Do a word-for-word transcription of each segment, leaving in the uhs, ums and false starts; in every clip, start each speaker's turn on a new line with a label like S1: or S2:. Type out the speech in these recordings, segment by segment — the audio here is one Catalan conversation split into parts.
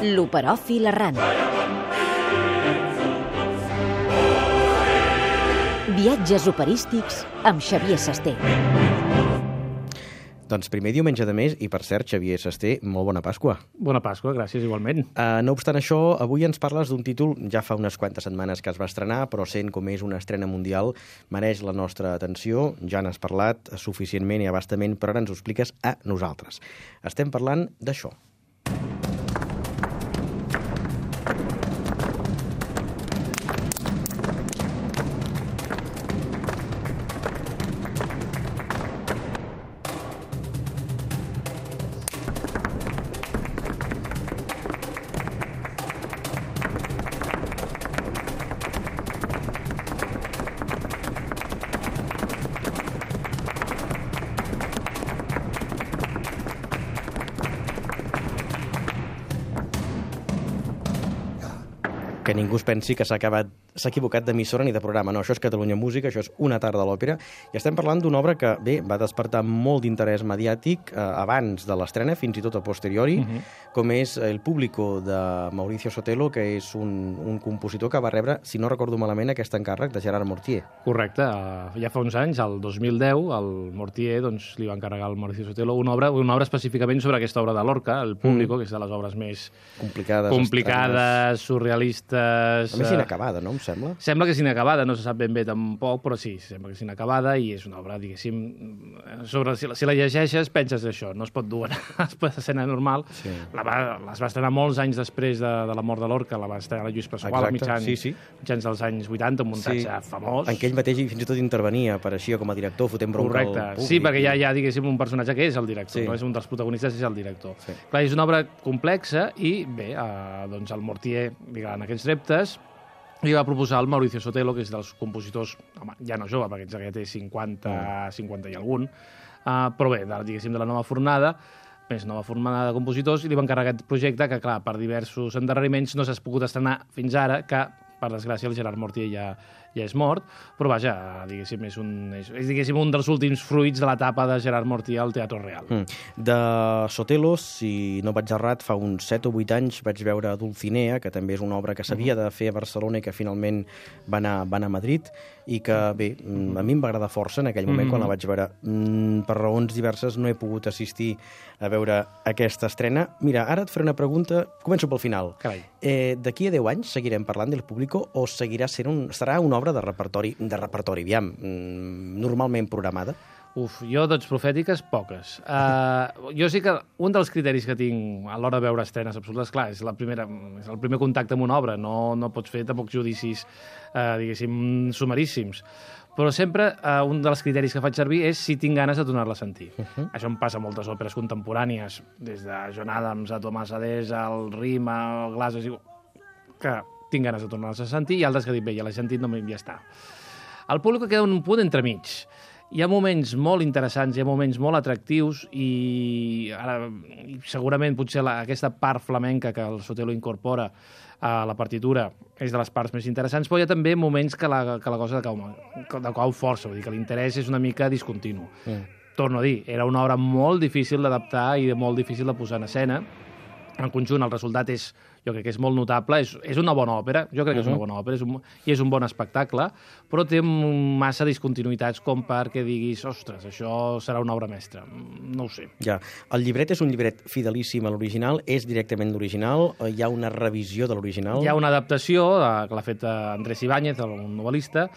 S1: L'Operòfil errant. Viatges operístics amb Xavier Sasté.
S2: Doncs primer diumenge de mes, i per cert, Xavier Sasté, molt bona Pasqua.
S3: Bona Pasqua, gràcies, igualment.
S2: Uh, no obstant això, avui ens parles d'un títol, ja fa unes quantes setmanes que es va estrenar, però sent com és una estrena mundial, mereix la nostra atenció. Ja n'has parlat suficientment i abastament, però ara ens ho expliques a nosaltres. Estem parlant d'això. Que ningú es pensi que s'ha acabat s'ha equivocat d'emissora ni de programa. No, això és Catalunya Música, això és Una tarda a l'òpera, i estem parlant d'una obra que, bé, va despertar molt d'interès mediàtic eh, abans de l'estrena, fins i tot a posteriori, uh -huh. com és El Público, de Mauricio Sotelo, que és un, un compositor que va rebre, si no recordo malament, aquest encàrrec de Gerard Mortier.
S3: Correcte. Uh, ja fa uns anys, el dos mil deu, el Mortier doncs, li va encarregar al Mauricio Sotelo una obra, una obra específicament sobre aquesta obra de Lorca, El Público, mm. que és de les obres més
S2: complicades,
S3: complicades surrealistes.
S2: A més, inacabada, no? Em sembla?
S3: Sembla que és inacabada, no se sap ben bé tampoc, però sí, sembla que és inacabada i és una obra, diguéssim, sobre, si, la, si la llegeixes penses això, no es pot dur a l'escena normal. Sí. La va, les va estrenar molts anys després de, de la mort de Lorca, la va estrenar la Lluís Pasqual, mitjans, sí, sí. mitjans dels anys vuitanta, un muntatge sí. famós.
S2: En què ell mateix fins i tot intervenia, apareixia com a director, fotent bronca al públic.
S3: Correcte, sí, perquè hi ha, hi ha, diguéssim, un personatge que és el director, sí. no és un dels protagonistes, és el director. Sí. Clar, és una obra complexa i, bé, eh, doncs el Mortier, diguem, en aquests reptes, li va proposar al Mauricio Sotelo, que és dels compositors, home, ja no jove, perquè ja té cinquanta, mm. cinquanta i algun, uh, però bé, de, diguéssim, de la nova fornada, més nova fornada de compositors, i li va encarregar aquest projecte que, clar, per diversos endarreriments no s'ha pogut estrenar fins ara, que, per desgràcia, el Gerard Mortier ja, ja és mort, però vaja, diguéssim, és un, és, és diguéssim, un dels últims fruits de l'etapa de Gerard Mortier al Teatre Real. Mm.
S2: De Sotelo, si no vaig errat, fa uns set o vuit anys vaig veure Dulcinea, que també és una obra que s'havia de fer a Barcelona i que finalment va anar, va anar a Madrid, i que, bé, a mi em va agradar força en aquell moment mm. quan la vaig veure. Mm, per raons diverses no he pogut assistir a veure aquesta estrena. Mira, ara et faré una pregunta, començo pel final. Eh, D'aquí a deu anys seguirem parlant del Público o seguirà sent un, serà una obra de repertori, de repertori, aviam, normalment programada?
S3: Uf, jo dots profètiques, poques. Uh, jo sí que un dels criteris que tinc a l'hora de veure estrenes absolutes, clar, és, la primera, és el primer contacte amb una obra, no, no pots fer tampoc judicis, uh, diguéssim, sumaríssims. Però sempre uh, un dels criteris que faig servir és si tinc ganes de tornar-la a sentir. Uh -huh. Això em passa a moltes òperes contemporànies, des de John Adams a Tomàs Adés, al Rima, al Glass, que tinc ganes de tornar-les a sentir, i altres que dic, bé, ja l'he sentit, no ja està. El Públic queda un punt entremig. Hi ha moments molt interessants, hi ha moments molt atractius i ara, segurament potser la, aquesta part flamenca que el Sotelo incorpora a la partitura és de les parts més interessants, però hi ha també moments que la, que la cosa decau, decau força, vull dir que l'interès és una mica discontinu. Mm. Torno a dir, era una obra molt difícil d'adaptar i molt difícil de posar en escena. En conjunt, el resultat és, jo crec que és molt notable, és, és una bona òpera, jo crec que és una bona òpera, és un, i és un bon espectacle, però té massa discontinuïtats com perquè diguis, ostres, això serà una obra mestra. No ho sé.
S2: Ja. El llibret és un llibret fidelíssim a l'original, és directament l'original, hi ha una revisió de l'original?
S3: Hi ha una adaptació eh, que l'ha fet Andrés Ibáñez, un novel·lista.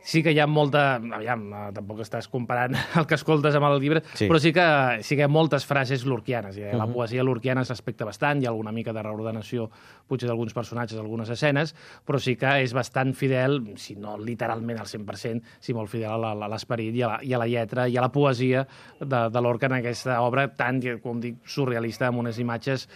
S3: Sí que hi ha molta... Aviam, tampoc estàs comparant el que escoltes amb el llibre, sí. però sí que, sí que hi ha moltes frases lorquianes. Eh? La uh -huh. poesia lorquiana es respecta bastant, hi ha alguna mica de reordenació, potser d'alguns personatges, algunes escenes, però sí que és bastant fidel, si no literalment al cent per cent, si molt fidel a l'esperit i, i a la lletra i a la poesia de, de Lorca en aquesta obra tan, com dic, surrealista, amb unes imatges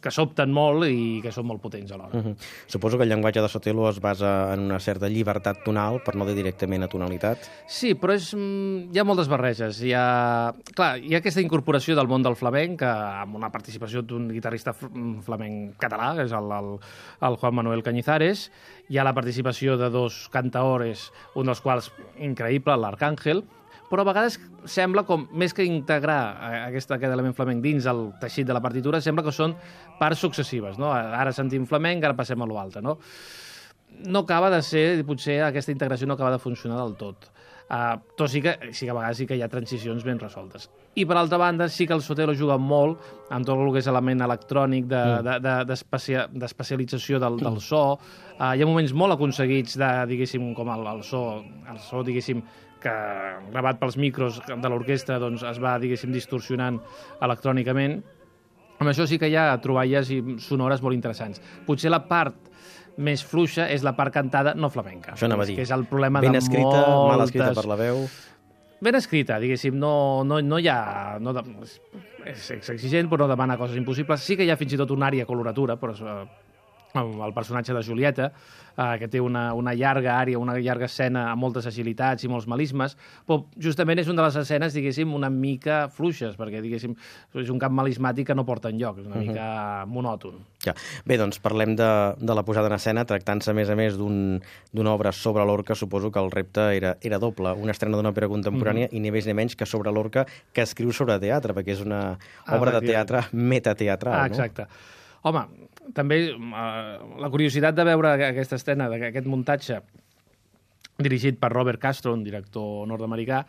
S3: que sobten molt i que són molt potents alhora. Uh-huh.
S2: Suposo que el llenguatge de Sotelo es basa en una certa llibertat tonal, per no dir directament a tonalitat.
S3: Sí, però és, hi ha moltes barreges. Hi ha, clar, hi ha aquesta incorporació del món del flamenc, amb una participació d'un guitarrista flamenc català, que és el, el, el Juan Manuel Cañizares. Hi ha la participació de dos cantaores, un dels quals increïble, l'Arcàngel, però a vegades sembla com, més que integrar aquest, aquest element flamenc dins el teixit de la partitura, sembla que són parts successives, no? Ara sentim flamenc, ara passem a l'altre, no? No acaba de ser, potser aquesta integració no acaba de funcionar del tot. Uh, tot sí que, sí que a vegades sí que hi ha transicions ben resoltes. I per altra banda sí que el Sotelo juga molt amb tot el que és element electrònic d'especialització de, de, de, del, del so. Uh, hi ha moments molt aconseguits de, diguéssim, com el, el so, el so, diguéssim, que gravat pels micros de l'orquestra doncs, es va, diguéssim, distorsionant electrònicament. Amb això sí que hi ha troballes sonores molt interessants. Potser la part més fluixa és la part cantada no flamenca.
S2: Això anava a dir.
S3: Que és el problema
S2: ben
S3: de
S2: escrita,
S3: moltes...
S2: mal escrita per la veu...
S3: Ben escrita, diguéssim, no, no, no hi ha... No de... És exigent, però no demana coses impossibles. Sí que hi ha fins i tot una àrea coloratura, però el personatge de Julieta, eh, que té una, una llarga àrea, una llarga escena amb moltes agilitats i molts melismes, però justament és una de les escenes, diguéssim, una mica fluixes, perquè, diguéssim, és un camp melismàtic que no porta enlloc, és una uh-huh. mica monòton.
S2: Ja. Bé, doncs parlem de, de la posada en escena, tractant-se, a més a més, d'una un, obra sobre Lorca, suposo que el repte era, era doble, una estrena d'una òpera contemporània uh-huh. i ni més ni menys que sobre Lorca, que escriu sobre teatre, perquè és una obra ah, de teatre metateatral,
S3: ah, exacte. No? Home, també eh, la curiositat de veure aquesta escena, aquest muntatge dirigit per Robert Castro, un director nord-americà,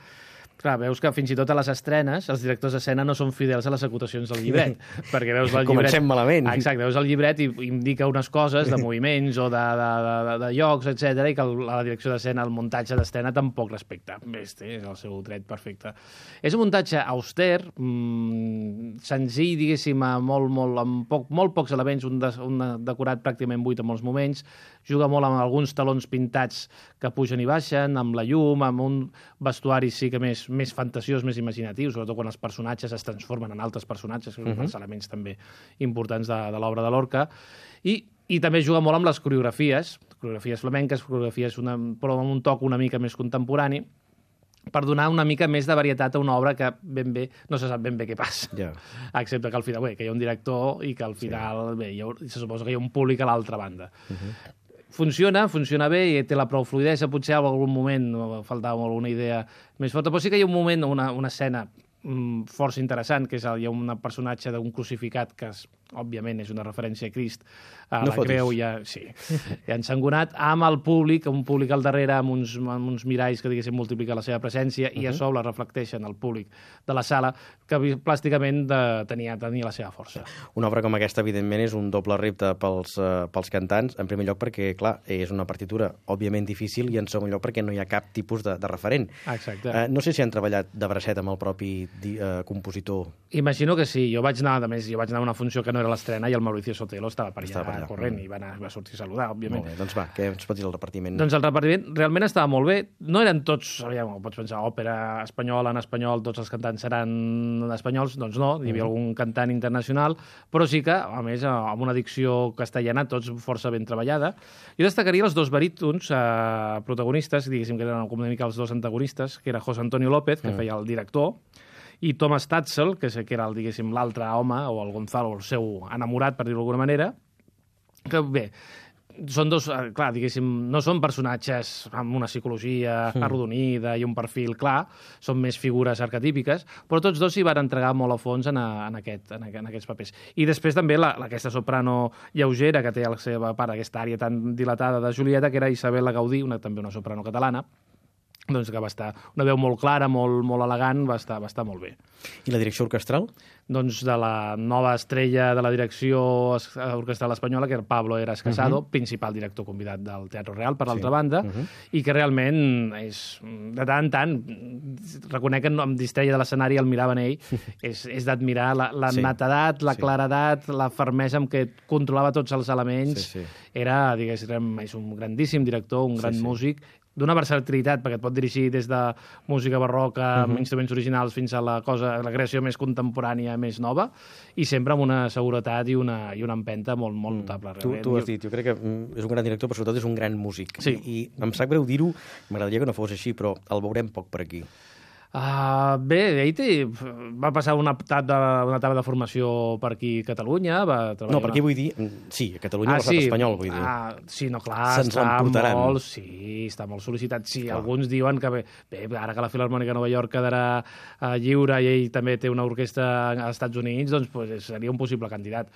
S3: clar, veus que fins i tot a les estrenes els directors d'escena no són fidels a les acotacions del llibret, perquè veus el llibret...
S2: Comencem malament.
S3: Exacte, veus el llibret i indica unes coses de moviments o de, de, de, de llocs, etcètera, i que el, la direcció d'escena, el muntatge d'escena tampoc respecta. Bé, és el seu dret perfecte. És un muntatge auster, mmm, senzill, diguéssim, molt, molt, amb poc, molt pocs elements, un, de, un decorat pràcticament buit en molts moments, juga molt amb alguns talons pintats que pugen i baixen, amb la llum, amb un vestuari sí que més, més fantasiós, més imaginatiu, sobretot quan els personatges es transformen en altres personatges, que són uh-huh. els elements també importants de, de l'obra de Lorca, i, i també juga molt amb les coreografies, coreografies flamenques, coreografies una, però amb un toc una mica més contemporani, per donar una mica més de varietat a una obra que ben bé no se sap ben bé què passa. Yeah. Excepte que al final, bé, que hi ha un director i que al final, sí. bé, hi ha, se suposa que hi ha un públic a l'altra banda. Uh-huh. Funciona, funciona bé i té la prou fluidesa, potser en algun moment faltava alguna idea més forta, però sí que hi ha un moment, una, una escena mm, força interessant, que és el, hi ha un personatge d'un crucificat que, és, òbviament, és una referència a Crist, a no la fotis. Creu, ja, sí, ja ensangonat, amb el públic, un públic al darrere, amb uns, amb uns miralls que, diguéssim, multipliquen la seva presència, uh-huh. i a sobre reflecteixen el públic de la sala, que plàsticament de, tenia, tenia la seva força.
S2: Una obra com aquesta, evidentment, és un doble repte pels, uh, pels cantants, en primer lloc perquè, clar, és una partitura òbviament difícil, i en segon lloc perquè no hi ha cap tipus de, de referent.
S3: Exacte.
S2: Uh, no sé si han treballat de bracet amb el propi uh, compositor.
S3: Imagino que sí. Jo vaig anar, a més, jo vaig anar a una funció que no era l'estrena i el Mauricio Sotelo estava per allà, estava per allà corrent mm. i va, anar, va sortir a saludar, òbviament.
S2: Molt bé, doncs va, què ens pots dir del repartiment?
S3: Doncs el repartiment realment estava molt bé. No eren tots, aviam, pots pensar, òpera espanyola, en espanyol, tots els cantants seran espanyols, doncs no, hi havia mm. algun cantant internacional, però sí que, a més, amb una dicció castellana, tots força ben treballada. Jo destacaria els dos barítons eh, protagonistes, diguéssim que eren com una mica els dos antagonistes, que era José Antonio López, que mm. feia el director, i Thomas Tatzel, que que era, diguéssim, l'altre home, o el Gonzalo, el seu enamorat, per dir-ho d'alguna manera, que bé, són dos, clar, diguéssim, no són personatges amb una psicologia mm. arrodonida i un perfil clar, són més figures arquetípiques, però tots dos s'hi van entregar molt a fons en, a, en, aquest, en, aquest, en aquests papers. I després també la, aquesta soprano lleugera, que té a la seva part, aquesta àrea tan dilatada de Julieta, que era Isabel Gaudí, una, també una soprano catalana, doncs que va estar una veu molt clara, molt, molt elegant, va estar, va estar molt bé.
S2: I la direcció orquestral? Doncs de la nova estrella de la direcció orquestral espanyola, que era Pablo Heras Casado, uh-huh. principal director convidat del Teatre Real, per l'altra sí. banda, uh-huh. i que realment és, de tant en tant, reconec que em distreia de l'escenari, el mirava en ell, és, és d'admirar la, la sí. netedat, la sí. claredat, la fermesa amb què controlava tots els elements. Sí, sí. Era, diguéssim, és un grandíssim director, un gran sí, sí. músic, d'una versatilitat, perquè et pot dirigir des de música barroca, uh-huh. amb instruments originals, fins a la cosa, la creació més contemporània, més nova, i sempre amb una seguretat i una, i una empenta molt, molt notable. Tu, tu has dit, jo crec que és un gran director, però sobretot és un gran músic.
S3: Sí.
S2: I, i em sap greu dir-ho, m'agradaria que no fos així, però el veurem poc per aquí.
S3: Uh, bé, ell té, va passar una etapa, de, una etapa de formació per aquí a Catalunya. Va
S2: no, per aquí vull dir... Sí, a Catalunya ah, l'estat sí. espanyol, vull dir.
S3: Ah, sí, no, clar,
S2: Se'ns
S3: està molt... Sí, està molt sol·licitat. Sí, clar. Alguns diuen que bé, bé, ara que la Filharmònica de Nova York quedarà uh, lliure i ell també té una orquestra als Estats Units, doncs pues, seria un possible candidat.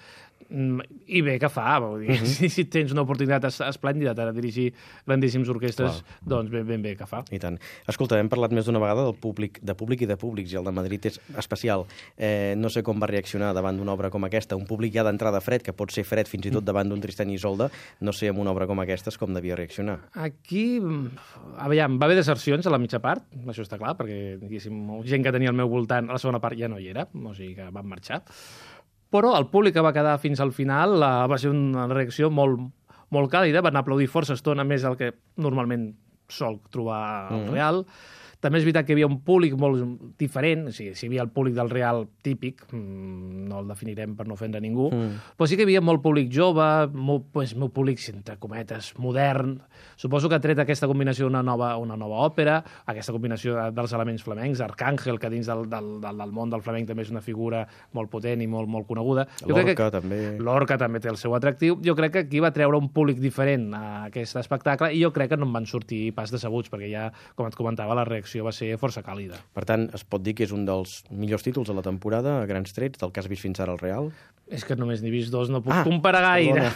S3: Mm, I bé, que fa? Vull dir, uh -huh. si, si tens una oportunitat esplèndida de dirigir grandíssimes orquestres, clar. Doncs ben, ben bé que fa.
S2: I tant. Escolta, hem parlat més d'una vegada del públic de públic i de públics, i el de Madrid és especial. Eh, no sé com va reaccionar davant d'una obra com aquesta, un públic ja d'entrada fred, que pot ser fred fins i tot davant d'un Tristany i Isolde, no sé, amb una obra com aquesta com devia reaccionar.
S3: Aquí, aviam, va haver desercions a la mitja part, això està clar, perquè diguéssim, gent que tenia al meu voltant, a la segona part ja no hi era, o sigui que van marxar. Però el públic que va quedar fins al final uh, va ser una reacció molt, molt càlida, van aplaudir força estona més del que normalment sol trobar al mm. Real. També és veritat que hi havia un públic molt diferent, o sigui, si hi havia el públic del Real típic, no el definirem per no ofendre ningú, mm. però sí que hi havia molt públic jove, molt, pues, molt públic, entre cometes, modern. Suposo que ha tret aquesta combinació una nova, una nova òpera, aquesta combinació de, dels elements flamencs, Arcàngel, que dins del, del, del, del món del flamenc també és una figura molt potent i molt, molt coneguda.
S2: L'Orca també.
S3: L'Orca també té el seu atractiu. Jo crec que aquí va treure un públic diferent a aquest espectacle i jo crec que no en van sortir pas decebuts, perquè ja, com et comentava, la reacció va ser força càlida.
S2: Per tant, es pot dir que és un dels millors títols de la temporada, a grans trets, del que has vist fins ara al Real?
S3: És que només n'he vist dos, no puc ah, comparar gaire.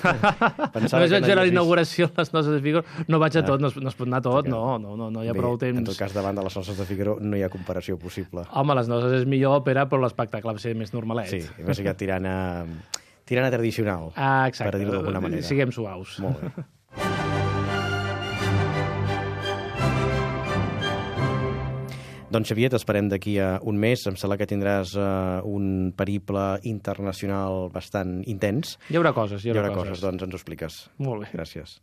S3: Només
S2: vaig
S3: veure la inauguració de les Noces de Figaro. No vaig a tot, no, no es pot anar a tot, no, no, no, no hi ha
S2: Bé,
S3: prou temps.
S2: En tot cas, davant de les Noces de Figaro no hi ha comparació possible.
S3: Home, les Noces és millor òpera, però l'espectacle va ser més normalet.
S2: Sí, més que tirant a, tirant a tradicional,
S3: ah, exacte.
S2: per dir-ho d'alguna manera.
S3: Siguem suaus.
S2: Molt bé. Doncs Xavier, t'esperem d'aquí a un mes. Em sembla que tindràs uh, un periple internacional bastant intens.
S3: Hi haurà coses, hi haurà,
S2: hi haurà
S3: coses.
S2: coses. Doncs ens ho expliques.
S3: Molt bé.
S2: Gràcies.